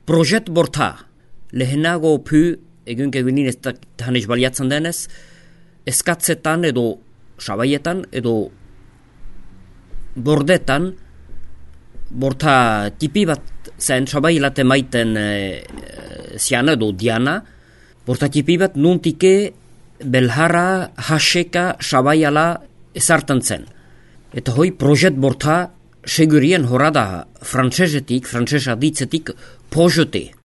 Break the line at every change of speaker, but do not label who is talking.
projet borta, lehenago pu, egunin ez da baliatzen denez, eskatzetan edo sabaietan edo bordetan, borta tipi bat zen sabailate maiten ziana edo diana, borta tipi bat nuntike belhara haseka sabaiala ezartan zen. Eta hoi projet borta segurien horada frantsesetik, frantsesa ditzetik projeté.